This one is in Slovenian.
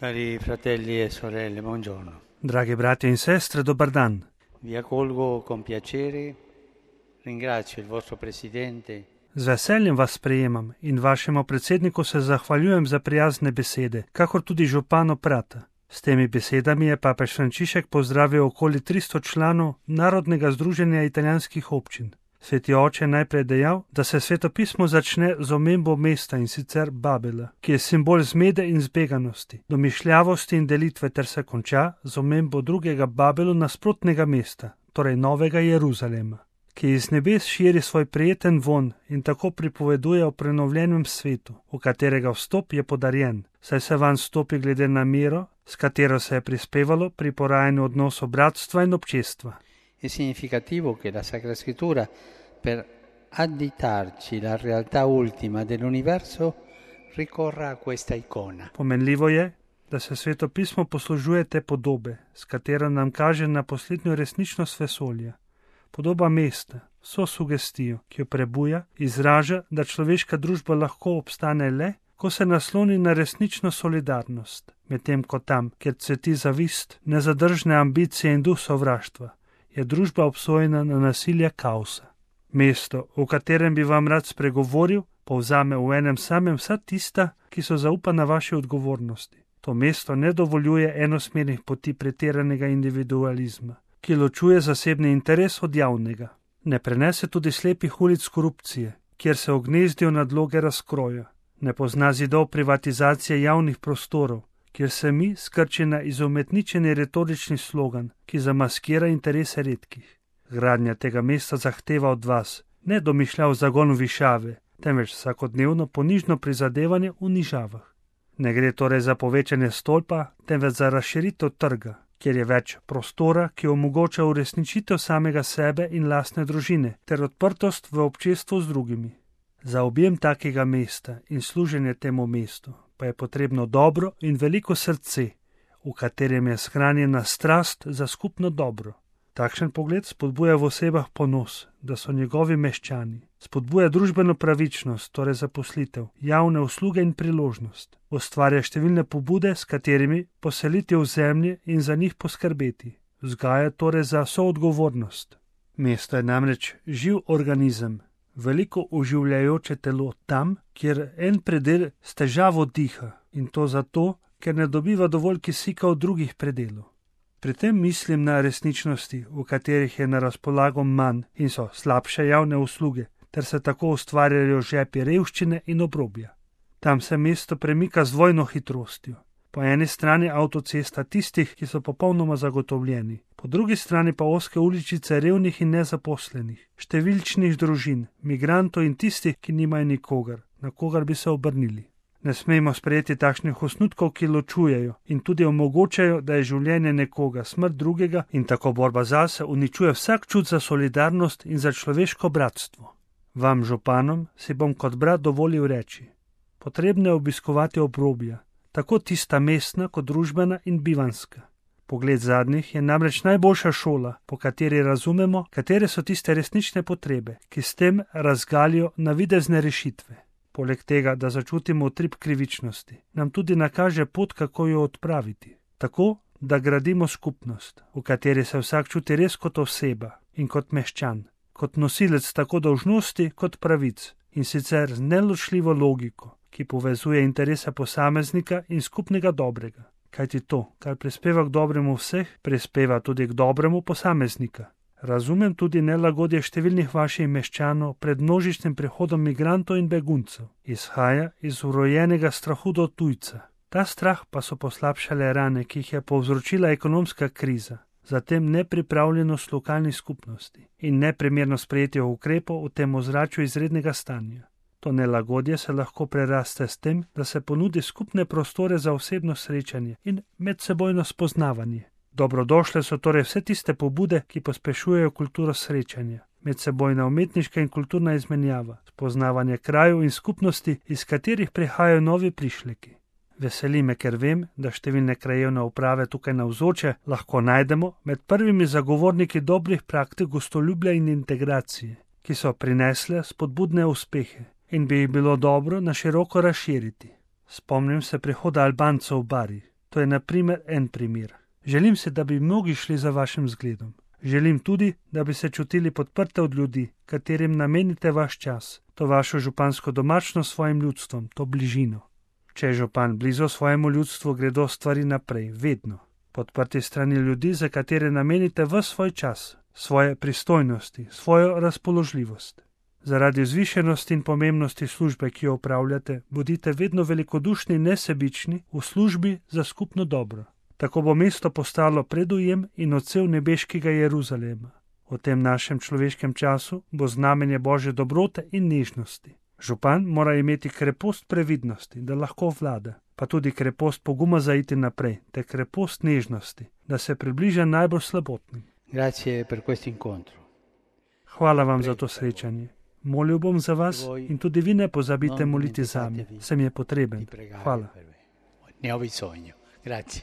Cari fratelli e sorelle, buongiorno. Dragi bratia in sestre, dobar dan. Vi accolgo con piacere, ringrazio il vostro Presidente. Z veseljem vas sprejemam in vašemu predsedniku se zahvaljujem za prijazne besede, kakor tudi županu Prata. S temi besedami je papež Frančišek pozdravil okoli 300 članov Narodnega združenja italijanskih občin. Sveti oče je najprej dejal, da se svetopismo začne z omembo mesta, in sicer Babela, ki je simbol zmede in zbeganosti, domišljavosti in delitve, ter se konča z omembo drugega Babelu nasprotnega mesta, torej Novega Jeruzalema, ki iz nebes širi svoj prijeten von in tako pripoveduje o prenovljenem svetu, v katerega vstop je podarjen, saj se vanj stopi glede na mero, s katero se je prispevalo pri porajanju odnosov bratstva in občestva. È significativo che la Sacra Scrittura, per additarci la realtà ultima dell'universo, ricorra a questa icona. Pomenljivo je, da se svetopismo poslužuje te podobe, s katero nam kaže na poslednjo resničnost vesolja. Podoba mesta, vso sugestijo, ki jo prebuja, izraža, da človeška družba lahko obstane le, ko se nasloni na resnično solidarnost, medtem ko tam, kjer cveti zavist, nezadržne ambicije in duh sovraštva, je družba obsojena na nasilje kaosa. Mesto, v katerem bi vam rad spregovoril, povzame v enem samem vsa tista, ki so zaupana vaši odgovornosti. To mesto ne dovoljuje enosmernih poti pretiranega individualizma, ki ločuje zasebni interes od javnega. Ne prenese tudi slepih ulic korupcije, kjer se ognezdijo nadloge razkroja. Ne pozna zidov privatizacije javnih prostorov, kjer se mi skrči na izumetničeni retorični slogan, ki zamaskira interese redkih. Gradnja tega mesta zahteva od vas ne domišljav zagon višave, temveč vsakodnevno ponižno prizadevanje v nižavah. Ne gre torej za povečanje stolpa, temveč za razširitev trga, kjer je več prostora, ki omogoča uresničitev samega sebe in lastne družine, ter odprtost v občestvu z drugimi. Za objem takega mesta in služenje temu mestu pa je potrebno dobro in veliko srce, v katerem je shranjena strast za skupno dobro. Takšen pogled spodbuja v osebah ponos, da so njegovi meščani. Spodbuja družbeno pravičnost, torej zaposlitev, javne usluge in priložnost. Ustvarja številne pobude, s katerimi poseliti v zemlji in za njih poskrbeti. Vzgaja torej za soodgovornost. Mesto je namreč živ organizem, veliko oživljajoče telo tam, kjer en predel s težavo diha, in to zato, ker ne dobiva dovolj kisika od drugih predelov. Pri tem mislim na resničnosti, v katerih je na razpolago manj in so slabše javne usluge, ter se tako ustvarjajo žepi revščine in obrobja. Tam se mesto premika z dvojno hitrostjo. Po eni strani avtocesta tistih, ki so popolnoma zagotovljeni, po drugi strani pa ozke uličice revnih in nezaposlenih, številčnih družin, migrantov in tistih, ki nimajo nikogar, na kogar bi se obrnili. Ne smemo sprejeti takšnih osnutkov, ki ločujejo in tudi omogočajo, da je življenje nekoga, smrt drugega in tako borba zase uničuje vsak čut za solidarnost in za človeško bratstvo. Vam, županom, si bom kot brat dovolil reči: potrebno je obiskovati obrobja, tako tista mestna kot družbena in bivanska. Pogled zadnjih je namreč najboljša šola, po kateri razumemo, katere so tiste resnične potrebe, ki s tem razgalijo navidezne rešitve. Poleg tega, da začutimo utrip krivičnosti, nam tudi nakaže pot, kako jo odpraviti. Tako, da gradimo skupnost, v kateri se vsak čuti res kot oseba in kot meščan, kot nosilec tako dolžnosti kot pravic, in sicer z neločljivo logiko, ki povezuje interese posameznika in skupnega dobrega. Kajti to, kar prispeva k dobremu vseh, prispeva tudi k dobremu posameznika. Razumem tudi nelagodje številnih vaših meščanov pred množičnim prihodom migrantov in beguncev. Izhaja iz vrojenega strahu do tujca. Ta strah pa so poslabšale rane, ki jih je povzročila ekonomska kriza, zatem nepripravljenost lokalnih skupnosti in neprimerno sprejetje ukrepov v tem ozračju izrednega stanja. To nelagodje se lahko preraste s tem, da se ponudi skupne prostore za osebno srečanje in medsebojno spoznavanje. Dobrodošle so torej vse tiste pobude, ki pospešujejo kulturo srečanja, medsebojna umetniška in kulturna izmenjava, spoznavanje krajev in skupnosti, iz katerih prihajajo novi prišleki. Veseli me, ker vem, da številne krajevne uprave tukaj navzoče lahko najdemo med prvimi zagovorniki dobrih praktik gostoljubja in integracije, ki so prinesle spodbudne uspehe in bi jih bilo dobro na široko razširiti. Spomnim se prihoda Albancev v Bari. To je na primer en primer. Želim si, da bi mnogi šli za vašim zgledom. Želim tudi, da bi se čutili podprte od ljudi, katerim namenite vaš čas, to vašo župansko domačnost svojim ljudstvom, to bližino. Če je župan blizu svojemu ljudstvu, gredo stvari naprej, vedno. Podprti strani ljudi, za katere namenite ves svoj čas, svoje pristojnosti, svojo razpoložljivost. Zaradi vzvišenosti in pomembnosti službe, ki jo upravljate, bodite vedno velikodušni in nesebični v službi za skupno dobro. Tako bo mesto postalo predujem in odsev nebeškega Jeruzalema. V tem našem človeškem času bo znamenje Božje dobrote in nežnosti. Župan mora imeti krepost previdnosti, da lahko vlada, pa tudi krepost poguma za iti naprej, te krepost nežnosti, da se približa najbolj slabotnim. Grazie per questo incontro. Hvala vam za to srečanje. Molil bom za vas in tudi vi ne pozabite moliti zame, sem je potreben. Hvala. Ne ho bisogno. Grazie.